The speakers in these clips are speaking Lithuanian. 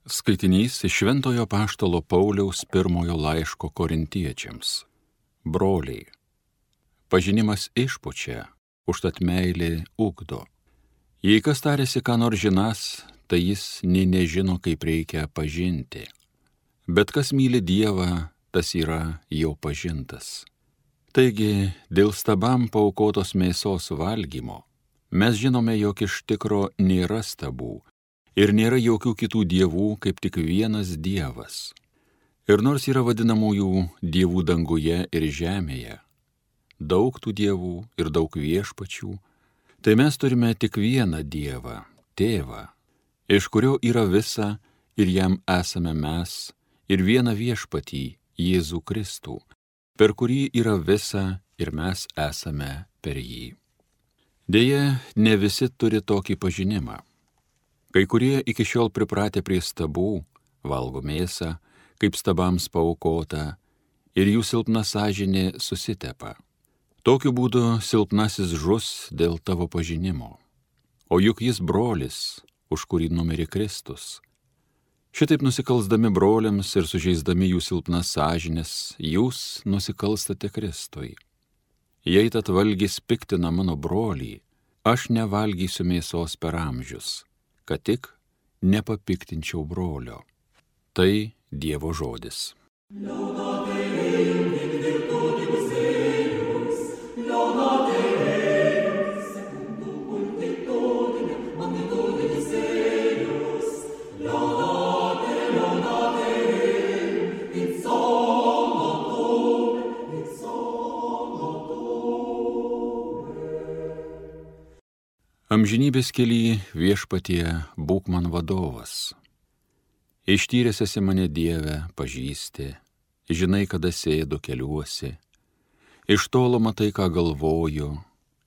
Skaitinys iš Šventojo Apaštalo Pauliaus pirmojo laiško Korintiečiams. Broliai, pažinimas išpučia, užtat meilė ugdo. Jei kas tarėsi, ką nors žinas, tai jis nė nežino, kaip reikia pažinti. Bet kas myli Dievą, tas yra jau pažintas. Taigi, dėl stabam paaukotos mėsos valgymo, mes žinome, jog iš tikro nėra stabų, ir nėra jokių kitų dievų, kaip tik vienas Dievas. Ir nors yra vadinamųjų dievų danguje ir žemėje, daug tų dievų ir daug viešpačių, tai mes turime tik vieną Dievą, Tėvą, iš kurio yra visa ir jam esame mes, ir vieną viešpatį, Jėzų Kristų, per kurį yra visa ir mes esame per jį. Deja, ne visi turi tokį pažinimą. Kai kurie iki šiol pripratę prie stabų, valgo mėsą, kaip stabams paaukota, ir jų silpna sąžinė susitepa. Tokiu būdu silpnasis žus dėl tavo pažinimo. O juk jis brolis, už kurį numirė Kristus. Šitaip nusikalsdami broliams ir sužeisdami jų silpnas sąžinės, jūs nusikalstate Kristui. Jei tad valgys piktina mano brolį, aš nevalgysiu mėsos per amžius, kad tik nepapiktinčiau brolio. Tai Dievo žodis. Amžinybės kely viešpatie būk man vadovas. Ištyręs esi mane Dieve, pažįsti, žinai, kada sėdu keliuosi. Iš tolo matai, ką galvoju,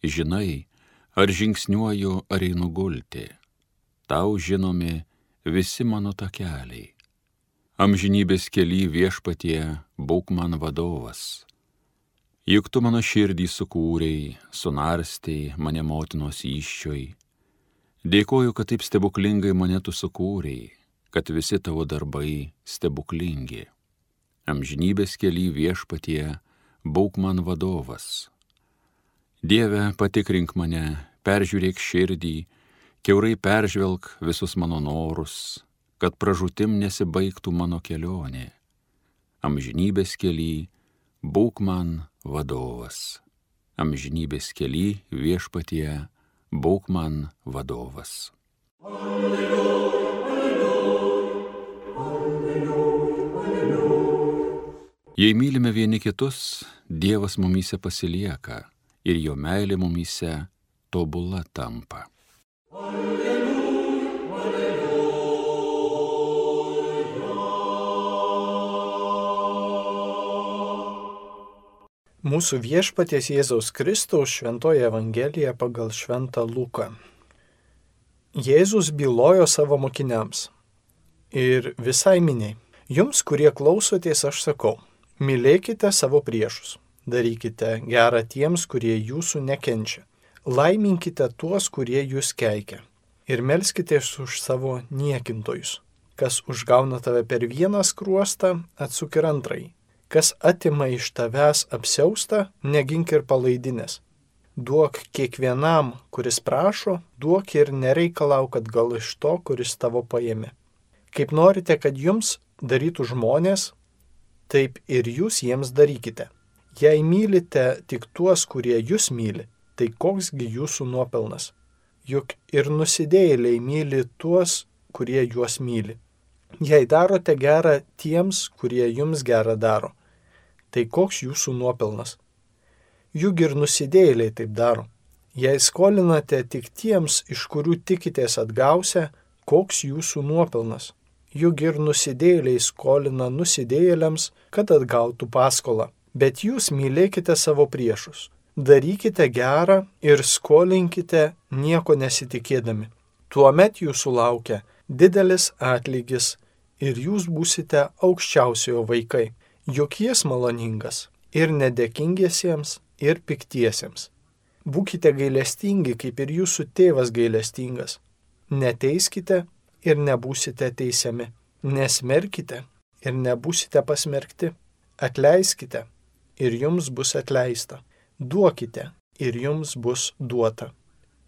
žinai, ar žingsniuoju, ar einu gulti. Tau žinomi visi mano takeliai. Amžinybės kely viešpatie būk man vadovas. Juk tu mano širdį sukūrei, sunarstei mane motinos įsčioj. Dėkoju, kad taip stebuklingai mane tu sukūrei, kad visi tavo darbai stebuklingi. Amžinybės kely viešpatie būk man vadovas. Dieve, patikrink mane, peržiūrėk širdį, kiaurai peržvelk visus mano norus, kad pražūtim nesibaigtų mano kelionė. Amžinybės kely būk man vadovas. Amžinybės kely viešpatie būk man vadovas. Alleluja, alleluja, alleluja. Jei mylime vieni kitus, Dievas mumyse pasilieka ir jo meilė mumyse tobula tampa. Mūsų viešpaties Jėzaus Kristaus šventoji Evangelija pagal šventą Luką. Jėzus bylojo savo mokiniams ir visai miniai. Jums, kurie klausotės, aš sakau, mylėkite savo priešus, darykite gerą tiems, kurie jūsų nekenčia, laiminkite tuos, kurie jūs keikia ir melskitės už savo niekintojus. Kas užgauna tave per vieną skruostą, atsuk ir antrąjį. Kas atima iš tavęs apsiaustą, negink ir palaidinės. Duok kiekvienam, kuris prašo, duok ir nereikalauk atgal iš to, kuris tavo paėmė. Kaip norite, kad jums darytų žmonės, taip ir jūs jiems darykite. Jei mylite tik tuos, kurie jūs myli, tai koksgi jūsų nuopelnas? Juk ir nusidėjėliai myli tuos, kurie juos myli. Jei darote gerą tiems, kurie jums gerą daro, tai koks jūsų nuopelnas? Juk ir nusidėjėliai taip daro. Jei skolinate tik tiems, iš kurių tikitės atgausia, koks jūsų nuopelnas? Juk ir nusidėjėliai skolina nusidėjėliams, kad atgautų paskolą. Bet jūs mylėkite savo priešus. Darykite gerą ir skolinkite nieko nesitikėdami. Tuomet jūsų laukia didelis atlygis ir jūs būsite aukščiausiojo vaikai, juk jis maloningas ir nedėkingiesiems, ir piktiesiems. Būkite gailestingi, kaip ir jūsų tėvas gailestingas. Neteiskite ir nebūsite teisiami. Nesmerkite ir nebūsite pasmerkti. Atleiskite ir jums bus atleista. Duokite ir jums bus duota.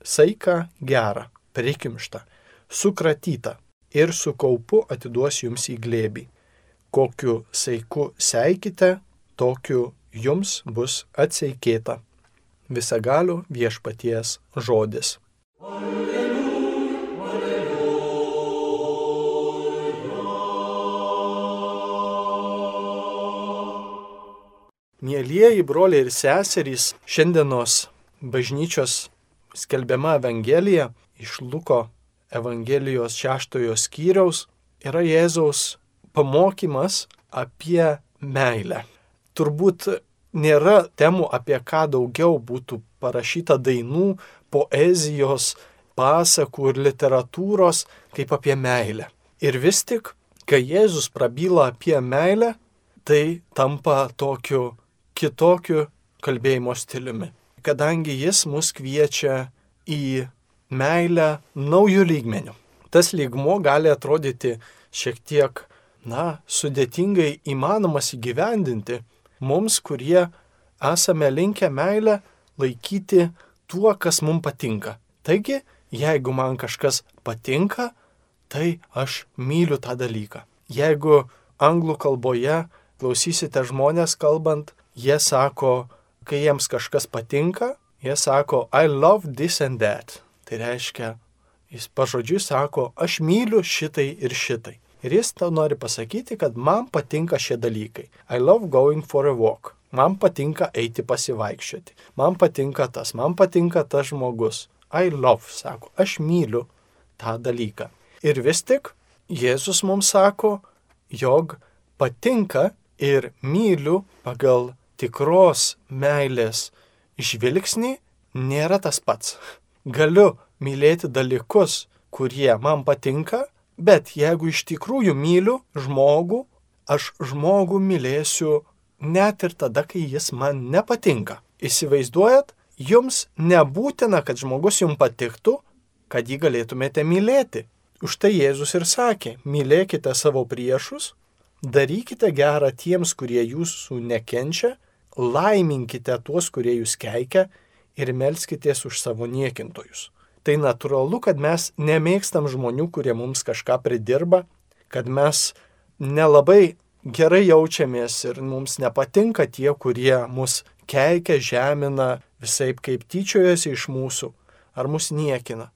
Saiką gerą, prikimštą, sukratytą ir su kaupu atiduos jums į glėbį. Kokiu saiku seikite, tokiu jums bus atseikėta. Visagalio viešpaties žodis. Mielieji broliai ir seserys, šiandienos bažnyčios skelbiama Evangelija iš Luko Evangelijos 6 skyriaus yra Jėzaus pamokymas apie meilę. Turbūt nėra temų, apie ką daugiau būtų parašyta dainų, poezijos, pasakų ir literatūros, kaip apie meilę. Ir vis tik, kai Jėzus prabyla apie meilę, tai tampa tokiu kitokiu kalbėjimo stiliumi, kadangi jis mus kviečia į meilę naujų lygmenių. Tas lygmuo gali atrodyti šiek tiek, sudėtingai įmanomas įgyvendinti mums, kurie esame linkę meilę laikyti tuo, kas mums patinka. Taigi, jeigu man kažkas patinka, tai aš myliu tą dalyką. Jeigu anglų kalboje klausysite žmonės kalbant, jie sako, kai jiems kažkas patinka, jie sako, I love this and that. Tai reiškia, jis pažodžiui sako, aš myliu šitai ir šitai. Ir jis tau nori pasakyti, kad man patinka šie dalykai. I love going for a walk. Man patinka eiti pasivaikščioti. Man patinka tas žmogus. I love, sako, aš myliu tą dalyką. Ir vis tik Jėzus mums sako, jog patinka ir myliu pagal tikros meilės žvilgsnį nėra tas pats. Galiu mylėti dalykus, kurie man patinka, bet jeigu iš tikrųjų myliu žmogų, aš žmogų mylėsiu net ir tada, kai jis man nepatinka. Įsivaizduojat, jums nebūtina, kad žmogus jums patiktų, kad jį galėtumėte mylėti. Už tai Jėzus ir sakė, mylėkite savo priešus, darykite gerą tiems, kurie jūsų nekenčia, laiminkite tuos, kurie jūs keikia ir melskitės už savo niekintojus. Tai natūralu, kad mes nemėgstam žmonių, kurie mums kažką pridirba, kad mes nelabai gerai jaučiamės ir mums nepatinka tie, kurie mus keikia, žemina, visaip kaip tyčiojasi iš mūsų ar mus niekina.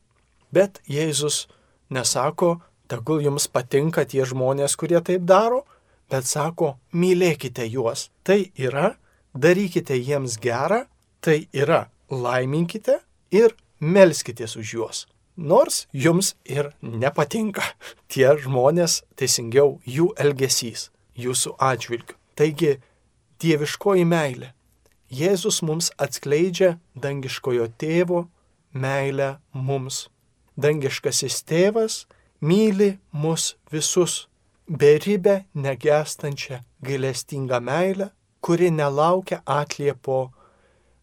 Bet Jėzus nesako, tegul jums patinka tie žmonės, kurie taip daro, bet sako, mylėkite juos. Tai yra, darykite jiems gerą, tai yra, laiminkite ir melskitės už juos. Nors jums ir nepatinka tie žmonės, teisingiau jų elgesys, jūsų atžvilgiu. Taigi, dieviškoji meilė. Jėzus mums atskleidžia dangiškojo tėvo meilę mums. Dangiškasis tėvas myli mus visus, beribę, negęstančią, gailestingą meilę, kuri nelaukia atliepo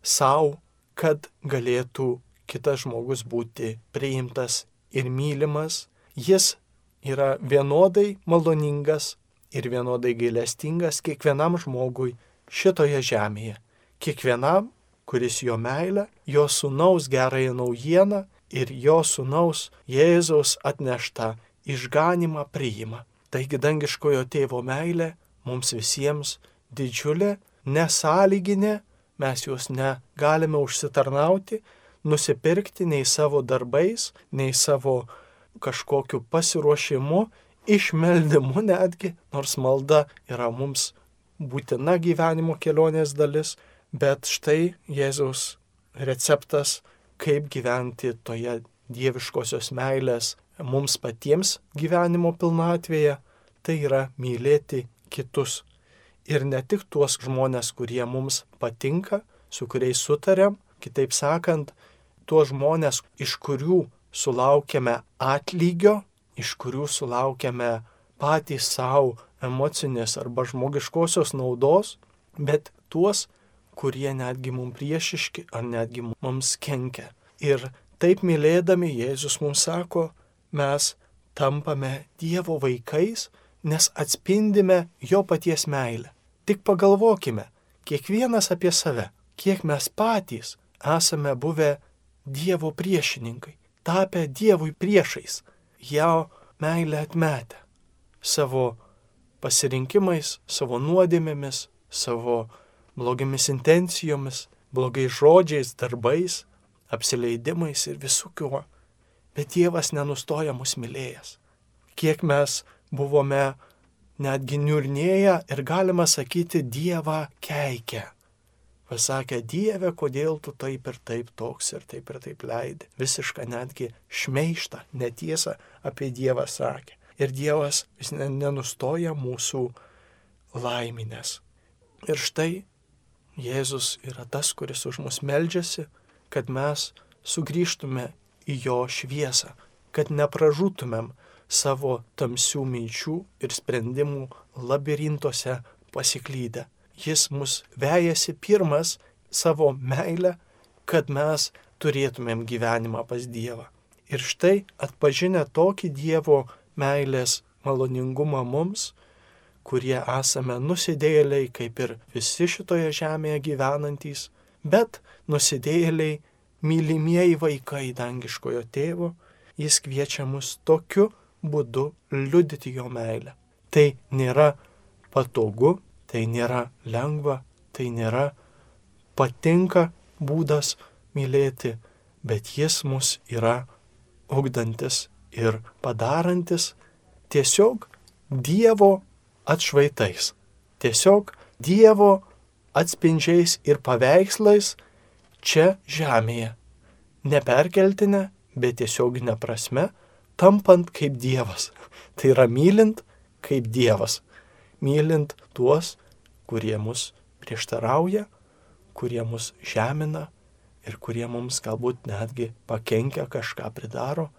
savo, kad galėtų kitas žmogus būti priimtas ir mylimas. Jis yra vienodai maloningas ir vienodai gailestingas kiekvienam žmogui šitoje žemėje. Kiekvienam, kuris jo meilę, jo sūnaus gerąją naujieną ir jo sūnaus Jėzaus atneštą išganimą priima. Taigi dangiškojo tėvo meilė mums visiems didžiulė, nesąlyginė, mes jos negalime užsitarnauti, nusipirkti nei savo darbais, nei savo kažkokiu pasiruošimu, išmeldimu netgi, nors malda yra mums būtina gyvenimo kelionės dalis, bet štai Jėzaus receptas, kaip gyventi toje dieviškosios meilės mums patiems gyvenimo pilnatvėje, tai yra mylėti kitus. Ir ne tik tuos žmonės, kurie mums patinka, su kuriais sutariam, kitaip sakant, tuos žmonės, iš kurių sulaukiame atlygio, iš kurių sulaukiame patys savo emocinės arba žmogiškosios naudos, bet tuos, kurie netgi mums priešiški ar netgi mums kenkia. Ir taip mylėdami Jėzus mums sako, mes tampame Dievo vaikais, nes atspindime jo paties meilę. Tik pagalvokime, kiekvienas apie save, kiek mes patys esame buvę Dievo priešininkai, tapę Dievui priešais, jo meilę atmetę, savo pasirinkimais, savo nuodėmėmis, savo blogiamis intencijomis, blogais žodžiais, darbais, apsileidimais ir visų kiuo. Bet Dievas nenustoja mus mylėjęs. Kiek mes buvome netgi niurnėję ir galima sakyti Dievą keikę. Pasakė, Dieve, kodėl tu taip ir taip toks ir taip leidi. Visišką netgi šmeištą, netiesą apie Dievą sakė. Ir Dievas vis nenustoja mūsų laiminės. Ir štai Jėzus yra tas, kuris už mus meldžiasi, kad mes sugrįžtume į jo šviesą, kad nepražūtumėm savo tamsių minčių ir sprendimų labirintuose pasiklydę. Jis mus vejasi pirmas savo meilę, kad mes turėtumėm gyvenimą pas Dievą. Ir štai atpažinę tokį Dievo meilės maloningumą mums, kurie esame nusidėjėliai, kaip ir visi šitoje žemėje gyvenantys, bet nusidėjėliai, mylimieji vaikai dangiškojo tėvo, jis kviečia mus tokiu būdu liudyti jo meilę. Tai nėra patogu, tai nėra lengva, tai nėra patinka būdas mylėti, bet jis mus yra ugdantis ir padarantis tiesiog Dievo atšvaitais, tiesiog Dievo atspindžiais ir paveikslais čia žemėje. Neperkeltinė, bet tiesioginė prasme, tampant kaip Dievas. Tai yra mylint kaip Dievas. Mylint tuos, kurie mus prieštarauja, kurie mus žemina ir kurie mums galbūt netgi pakenkia, kažką pridaro.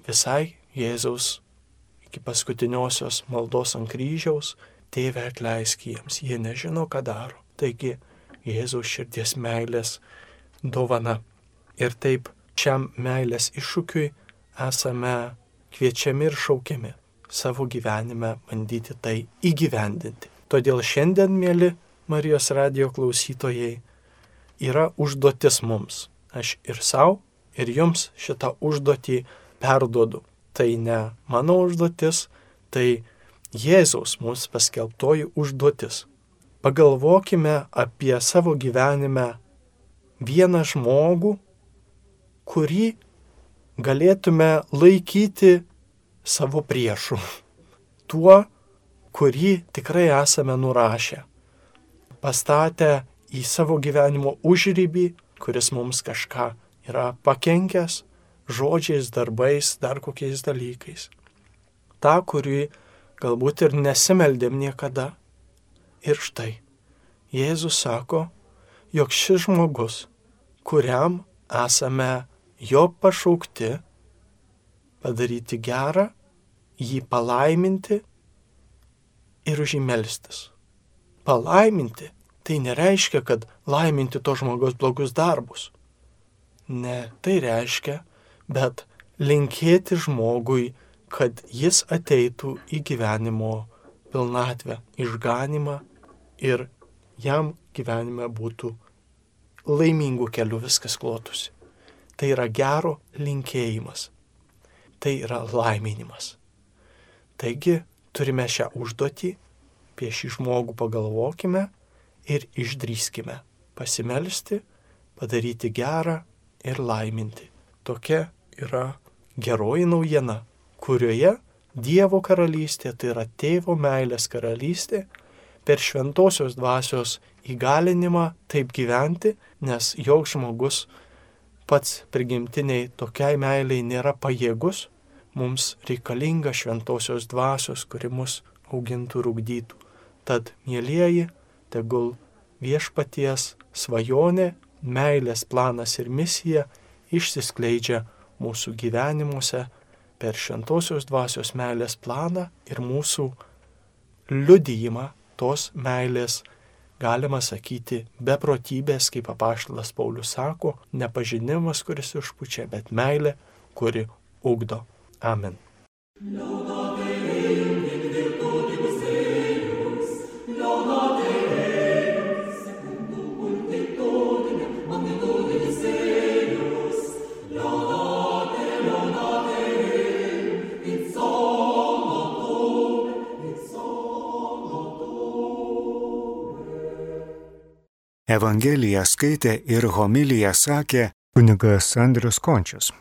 Visai Jėzaus iki paskutiniosios maldos ant kryžiaus, Tėve atleisk jiems, jie nežino, ką daro. Taigi Jėzaus širdies meilės dovana. Ir taip šiam meilės iššūkiui esame kviečiami ir šaukiami savo gyvenime bandyti tai įgyvendinti. Todėl šiandien, mėly Marijos radijo klausytojai, yra užduotis mums. Aš ir savo, ir jums šitą užduotį perduodu. Tai ne mano užduotis, tai Jėzaus mums paskelbtoji užduotis. Pagalvokime apie savo gyvenime vieną žmogų, kurį galėtume laikyti savo priešu. Tuo, kurį tikrai esame nurašę. Pastatę į savo gyvenimo užribį, kuris mums kažką yra pakenkęs, žodžiais, darbais, dar kokiais dalykais. Ta, kurį galbūt ir nesimeldėm niekada. Ir štai, Jėzus sako, jog šis žmogus, kuriam esame jo pašaukti, padaryti gerą, jį palaiminti ir už jį melstis. Palaiminti tai nereiškia, kad laiminti to žmogaus blogus darbus. Ne, tai reiškia, bet linkėti žmogui, kad jis ateitų į gyvenimo pilnatvę, išganimą ir jam gyvenime būtų laimingų kelių viskas klotusi. Tai yra gero linkėjimas. Tai yra laiminimas. Taigi turime šią užduotį, apie šį žmogų pagalvokime ir išdrįskime pasimelsti, padaryti gerą ir laiminti. Tokia yra geroji naujiena, kurioje Dievo karalystė, tai yra Tėvo meilės karalystė, per šventosios dvasios įgalinimą taip gyventi, nes joks žmogus pats prigimtiniai tokiai meiliai nėra pajėgus, mums reikalinga šventosios dvasios, kuri mus augintų ir ugdytų. Tad, mielieji, tegul viešpaties svajonė, meilės planas ir misija išsiskleidžia mūsų gyvenimuose per šventosios dvasios meilės planą ir mūsų liudijimą tos meilės, galima sakyti, beprotybės, kaip apaštalas Paulius sako, ne pažinimas, kuris užpučia, bet meilė, kuri ugdo. Amen. Evangeliją skaitė ir homiliją sakė kunigas Andrius Končius.